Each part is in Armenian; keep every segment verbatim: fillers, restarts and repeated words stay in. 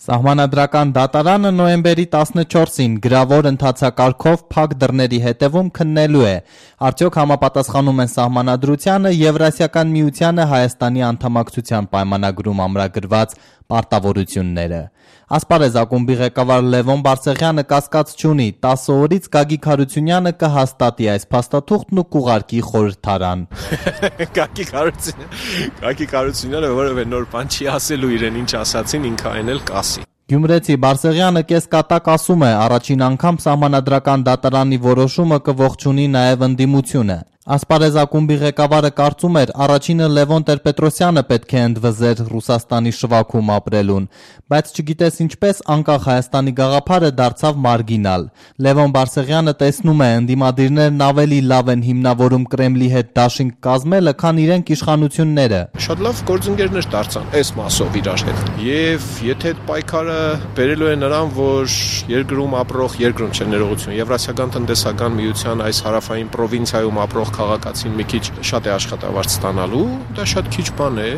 Սահմանադրական դատարանը նոյեմբերի տասնչորսին գրավոր ընթացակարգով փակ դռների հետևում քննելու է, արդյոք համապատասխանում են սահմանադրությանը Եվրասիական միությանը Հայաստանի անդամակցության պայմանագրում ամրագրված պարտավորությունները։ Ասպարեզ ակումբի ղեկավար Լևոն Բարսեղյանը կասկած չունի, տասը օրից Գագիկ Հարությունյանը կհաստատի այս փաստաթուղթն ու կուղարկի խորհրդարան։ Գագիկ Հարությունյանը որևէ նոր բան չի ասելու, իրեն ինչ ասացին, ինքը այն էլ կասի։ Գյումրեցի Բարսեղյանը կեսկատակ ասում է, առաջին անգամ սահմանադրական դատարանի որոշումը կողջունի նաև ընդդիմությունը։ Ասպարեզ ակումբի ղեկավարը կարծում էր, առաջինը Լևոն Տեր-Պետրոսյանը պետք է ընդվզեր Ռուսաստանի շվաքում ապրելուն, բայց չգիտես ինչպես անկախ Հայաստանի գաղափարը դարձավ մարգինալ։ Լևոն Բարսեղյանը տեսնում է, ընդդիմադիրներն ավելի լավ են հիմնավորում Կրեմլի հետ դաշինք կազմելը, քան իրենք իշխանությունները։ Շատ լավ գործընկերներ դարձան այս մասով իրար հետ։ Եվ եթե այդ պայքարը բերելու է նրան, որ երկրում ապրող, երկրում չէ ներողություն, Եվրասիական տնտեսական միության այս հարավային պրովինցիայում ապրող քաղաքացին մի քիչ շատ է աշխատավարձ ստանալու, դա շատ քիչ բան է։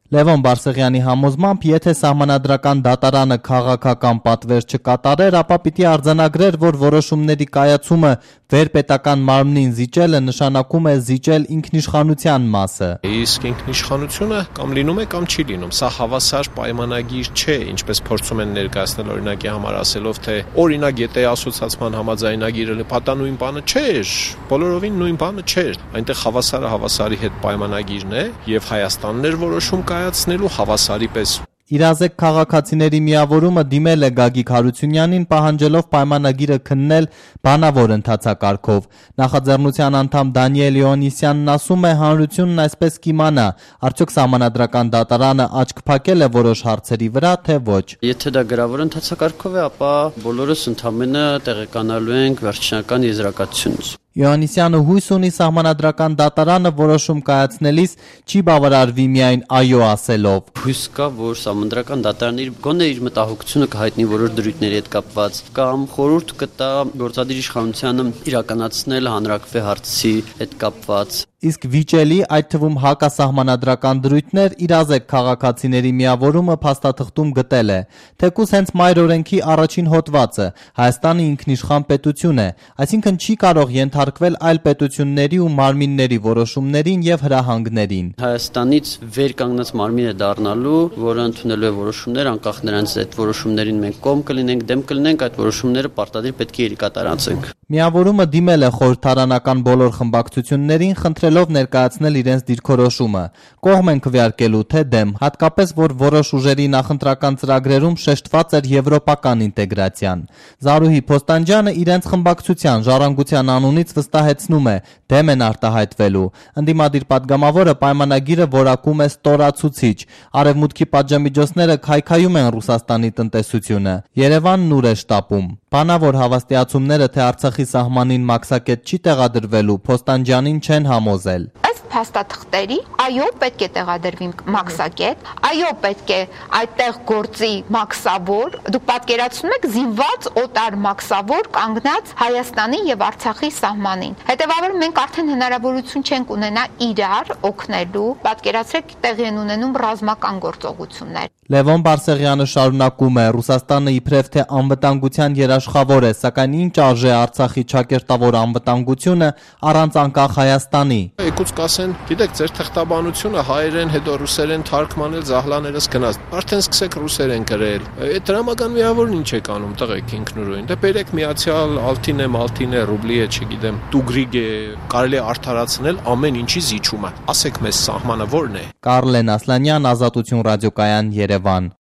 Լևոն Բարսեղյանի համոզմամբ, եթե սահմանադրական դատարանը քաղաքական պատվեր չկատարեր, ապա պիտի արձանագրեր, որ որոշումների կայացումը վերպետական մարմնին զիջելը նշանակում է զիջել ինքնիշխանության մասը։ Իսկ ինքնիշխանությունը կամ լինում է, կամ չի լինում։ Սա հավասար պայմանագիր չէ, ինչպես փորձում են ներկայացնել օրինակի համար ասելով, թե օրինակ եթե ասոցիացիան համաձայնագիրը պատանույն բանը չէր, բոլորովին նույն բանը չէր։ Այնտեղ հավասարը հավասարի հետ պայմանագիրն է, եւ Հայաստանն էր որոշում կայացնելու հավասարի պես։ Իրազեկ քաղաքացիների միավորումը դիմել է Գագիկ Հարությունյանին, պահանջելով պայմանագիրը քննել բանավոր ընթացակարգով։ Նախաձեռնության անդամ Դանիել Իոնիսյանն ասում է, հանրությունն այսպես կիմանա, արդյոք սահմանադրական դատարանը աչք փակել է որոշ հարցերի վրա, թե ոչ։ Եթե դա գրավոր ընթացակարգով է, ապա բոլորս ընդհանրապես տեղեկանալու ենք վերջնական եզրակացությունից։ Իոնիսյանը հույս ունի սահմանադրական դատարանը որոշում կայացնելիս չի բավարարվի միայն այո ասելով։ Հույս կա, որ սահմանադրական դատարանը գոնե իր մտահոգությունը կհայտնի որոշ դրույթների հետ կապված կամ խորհուրդ կտա գործադիր իշխանությանը իրականացնել հանրակրվե հարցի հետ կապված։ Իսկ վիճելի, այդ թվում հակասահմանադրական դրույթներ իրազեկ քաղաքացիների միավորումը փաստաթղթում գտել է, թեկուզ հենց մայր օրենքի առաջին հոդվածը Հայաստանը ինքնիշխան պետություն է, այսինքն չի կարող ենթարկվել այլ պետությունների ու մարմինների որոշումներին եւ հրահանգներին։ Հայաստանից վեր կանգնած մարմին է դառնալու, որը ընդունելու է որոշումներ, անկախ նրանից այդ որոշումներին մենք կողմ կլինենք, դեմ կլինենք, այդ որոշումները պարտադիր պետք է իրականացնենք։ Միավորումը դիմել է խորհրդարանական բոլոր խմբակցություններին, խնդրելով ներկայացնել իրենց դիրքորոշումը, կողմ են քվեարկելու թե դեմ, հատկապես որ որոշ ուժերի նախընտրական ծրագրերում շեշտված էր եվրոպական ինտեգրացիան։ Զարուհի Փոստանջյանը իրենց խմբակցության ժառանգության անունից վստահեցնում է, դեմ են արտահայտվելու։ Ընդդիմադիր պատգամավորը պայմանագիրը որակում է ստորացուցիչ։ Արևմուտքի պատժամիջոցները քայքայում են Ռուսաստանի տնտեսությունը։ Երևանն ուր է շտապում։ Բանավոր հավաստիացումները, թե Արցախի սահմանին մաքսակետ չի տեղադրվելու, Փոստանջյանին չեն համոզել։ Փաստաթղթերի, այո, պետք է տեղադրվի մաքսակետ, այո, պետք է այդտեղ գործի մաքսավոր, դուք պատկերացնում եք զինված օտար մաքսավոր կանգնած Հայաստանի եւ Արցախի սահմանին։ Հետեւաբար մենք արդեն հնարավորություն չենք ունենա իրար օգնելու, պատկերացրեք տեղի են ունենում ռազմական գործողություններ։ Լևոն Բարսեղյանը շարունակում է, Ռուսաստանը իբրև թե անվտանգության երաշխավոր է, սակայն ինչ արժե Արցախի ճակերտավոր անվտանգությունը առանց անկախ Հայաստանի։ Եկուց կասեն, գիտեք, ձեր թղթաբանությունը հայերեն, հետո ռուսերեն թարգմանել, զահլաներս գնաց։ Արդեն սկսեք ռուսերեն գրել։ Այդ դրամական միավորն ինչ եք անում, տղեկ ինքնուրույն։ Դե բերեք միացյալ ալթին է, մալթին է, ռուբլի է, չգիտեմ, տուգրիգ է, կարելի է արդարացնել ամեն ինչի զիջումը։ Ասեք մեզ սահմանը ո՞րն է։ Կարլեն Ասլանյան, Ազատություն ռադիոկայան, Երևան։